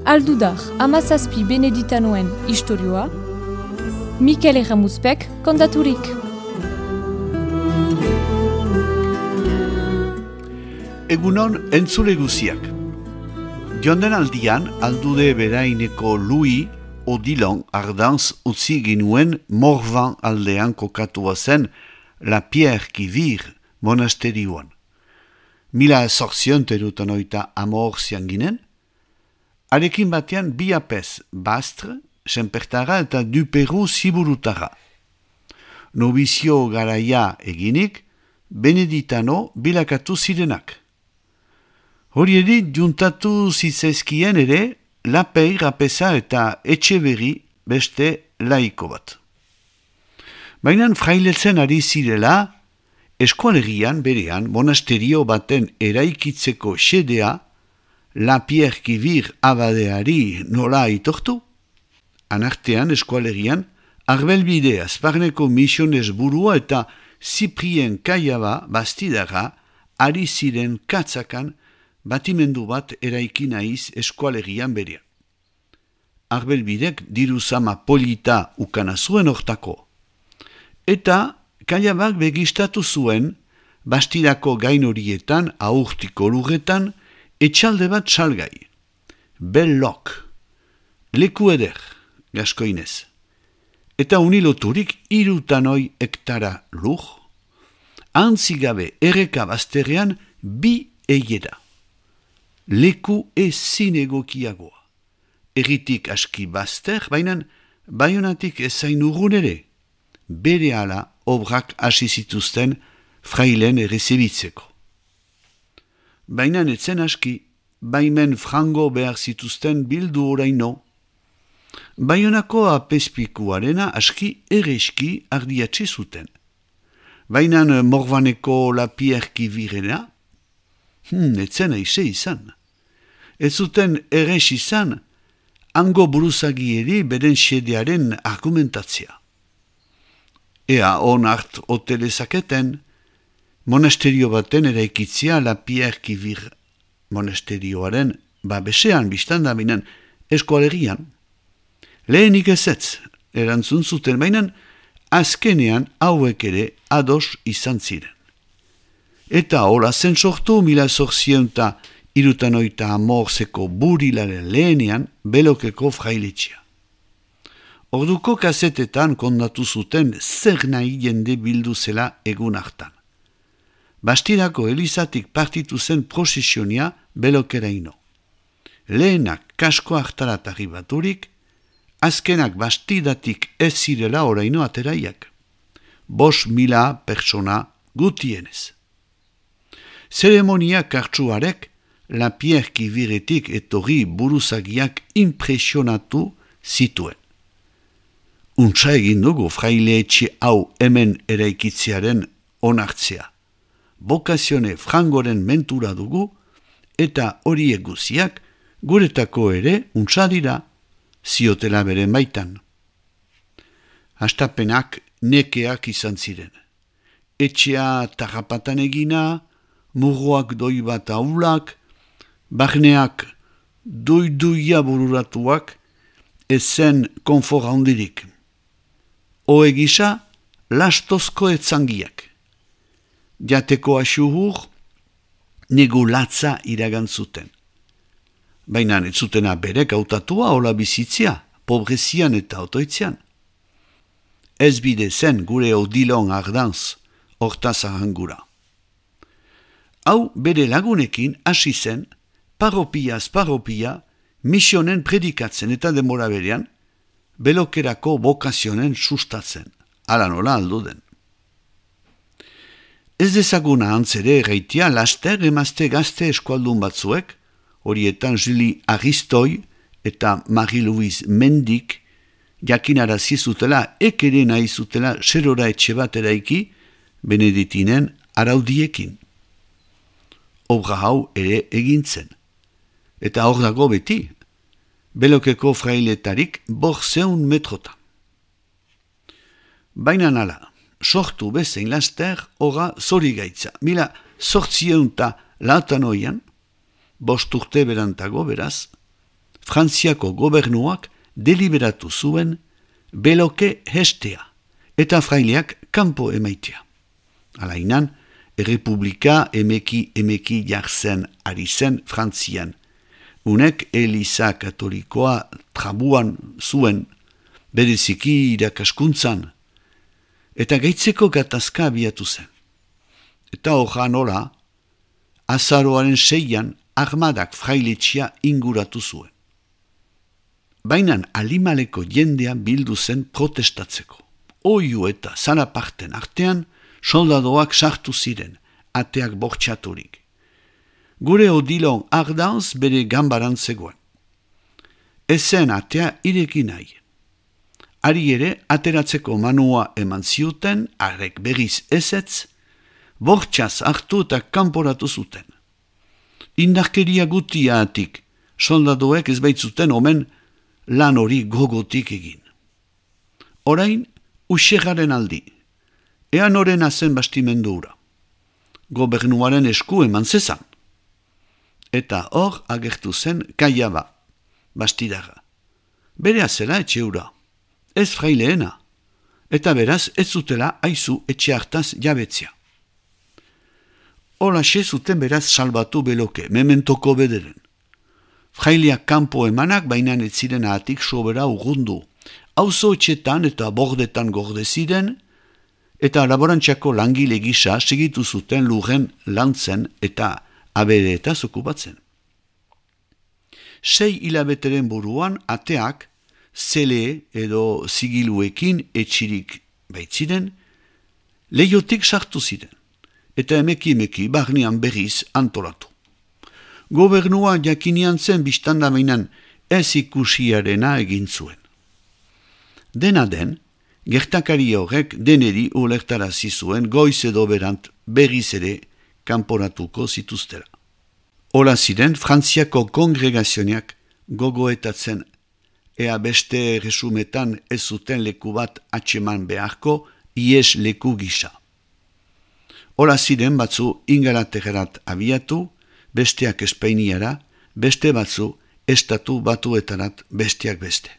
Aldudar, amazazpi beneditanoen istorioa, Mikel Erramuzpek kontaturik. Egunon entzule guziak. Jonden aldian, aldude beraineko Louis Odilon Ardanz utzi ginuen Morvan aldean kokatua zen La Pierre qui Vire monasterioan. 1880 amorzian ginen, arekin batean bi apez Bastre, Senpertara eta Duperu Ziburutara. Nobizio garaia eginik, beneditano bilakatu zirenak. Horieri juntatu zitzaizkien ere, Lapei, Rapesa eta Etxeberri beste laiko bat. Baina frailetzen ari zirela, eskualerian berean monasterio baten eraikitzeko xedea, La Pierre qui Vire abadeari nola aitortu? Anartean eskualerian, Arbelbide Azparneko misiones burua eta Ziprien Kaiaba bastidara ari ziren katzakan batimendu bat eraiki naiz eskualerian berean. Arbelbidek diru zama polita ukana zuen hortako. Eta Kaiabak begistatu zuen bastidako gain horietan, aurtiko lurretan, etxalde bat salgai. Bellok, leku eder, gaskoinez. Eta uniloturik 3 hektara lur, antzigabe erreka bazterrean 2 eiera. Leku ezin egokiagoa. Erritik aski bazter, baina Baionatik ezain urrun ere. Berehala obrak hasi zituzten frailen errezebitzeko. Baina etzen aski, baimen frango behar zituzten bildu oraino. Baionako apezpikuarena aski ereski ardiatxe zuten. Baina Morvaneko La Pierre qui Virena, etzen aize izan. Ez zuten erres izan, hango buruzagieri beren xedearen argumentatzia. Ea on hart hotelezaketen, monasterio baten eraikitzia La Pierre qui Vire monasterioaren babesean biztanda binen eskualerian. Lehenik ezetz, erantzun zuten bainan, azkenean hauek ere ados izan ziren. Eta hola zen sortu 1880 burilaren lehenean belokeko frailetxea. Orduko kasetetan kondatu zuten zer nahi jende bildu zela egun hartan. Bastirako elizatik partitu zen prosesionia belokeraino. Lehenak kasko hartarat arribaturik, azkenak bastidatik ez zirela oraino ateraiak. 5.000 persona gutienez. Zeremonia kartsuarek La Pierre qui Viretik etorri buruzagiak impresionatu zituen. Untsa egin dugu fraile etxe hau hemen eraikitzearen onartzea. Bokazione frangoren mentura dugu eta horiek guziak guretako ere untsa dira, ziotela beren baitan. Hastapenak nekeak izan ziren. Etxea tarrapatan egina, murroak doi bat aulak, barneak doi-doia bururatuak, ezen konfor handirik. Oe gisa, lastozko etzangiak. Jateko asuhur, nego latza iragantzuten. Baina ez zutena berek hautatua hola bizitzia, pobrezian eta otoitzean. Ez bide zen gure Odilon Ardanz, hortaz ahangura. Hau bere lagunekin hasi zen, paropia, misionen predikatzen eta demora berean, belokerako bokazionen sustatzen, ala nola alduden. Ez dezaguna antzere erraitia laster emazte gazte eskualdun batzuek, horietan Julie Aristoi eta Marie-Louise Mendik, jakinarazi zutela ekere nahi zutela serora etxe bat eraiki, Beneditinen araudiekin. Obra hau ere egintzen. Eta hor dago beti, belokeko frailetarik 500 metrota. Baina nala, sortu bezein laster horra zori gaitza. 1808an, 5 urte berantago beraz, Frantziako gobernuak deliberatu zuen beloke hestea eta fraileak kanpo emaitea. Alainan, errepublika emeki jartzen ari zen Frantzian. Unek Eliza katolikoa trabuan zuen, bereziki irakaskuntzan, eta gaitzeko gatazka abiatu zen. Eta horra nola, azaroaren 6an armadak frailetxia inguratu zuen. Bainan alimaleko jendea bildu zen protestatzeko. Oiu eta zaraparten artean, soldadoak sartu ziren, ateak bortxaturik. Gure Odilon Ardanz bere gambaran zegoen. Ezen atea ireki nahi. Ari ere, ateratzeko manua eman ziuten, arek berriz ezetz, bortxaz hartu eta kanporatu zuten. Indarkeria gutiatik, soldadoek ez baitzuten omen lan hori gogotik egin. Orain, uxerraren aldi, ean horren azen bastimendu hura. Gobernuaren esku eman zezan. Eta hor agertu zen Kaiaba, bastidaga. Bere azela etxe hura, ez fraileena, eta beraz ez zutela aizu etxe hartaz jabetzia. Holaxe zuten beraz salbatu beloke, mementoko bederen. Fraileak kanpo emanak bainan ez ziren ahatik sobera urrundu. Auzo etxetan eta bordetan gorde ziren, eta laborantxako langile gisa segitu zuten lurren lantzen eta abereetaz okupatzen. 6 hilabeteren buruan ateak zele edo zigiluekin etxirik baitziren, leiotik sartu ziren, eta emeki barnean berriz antolatu. Gobernua jakinian zen biztandamainan ez ikusiarena egin zuen. Dena den, gertakari horrek deneri ulertarazi zuen goiz edo berant berriz ere kanporatuko zituztera. Hola ziren, Frantziako kongregazioak gogoetatzen ea beste resumetan ez zuten leku bat atxeman beharko ies leku gisa. Hola ziren batzu Ingalaterrat abiatu, besteak Espainiara, beste batzu estatu batuetarat besteak beste.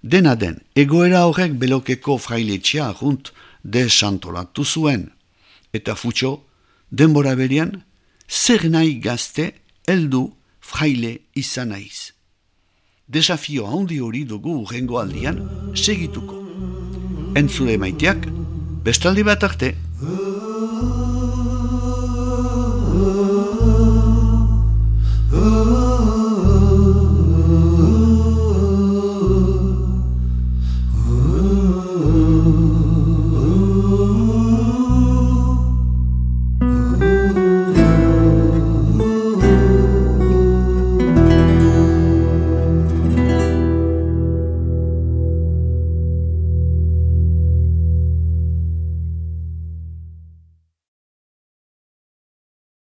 Dena den, egoera horrek belokeko frailetxea junt desantolatu zuen, eta futxo, denbora berian, zer nahi gazte heldu fraile izan naiz. Desafio handi hori dugu urrengo aldian segituko. Entzule maiteak, bestaldi bat arte.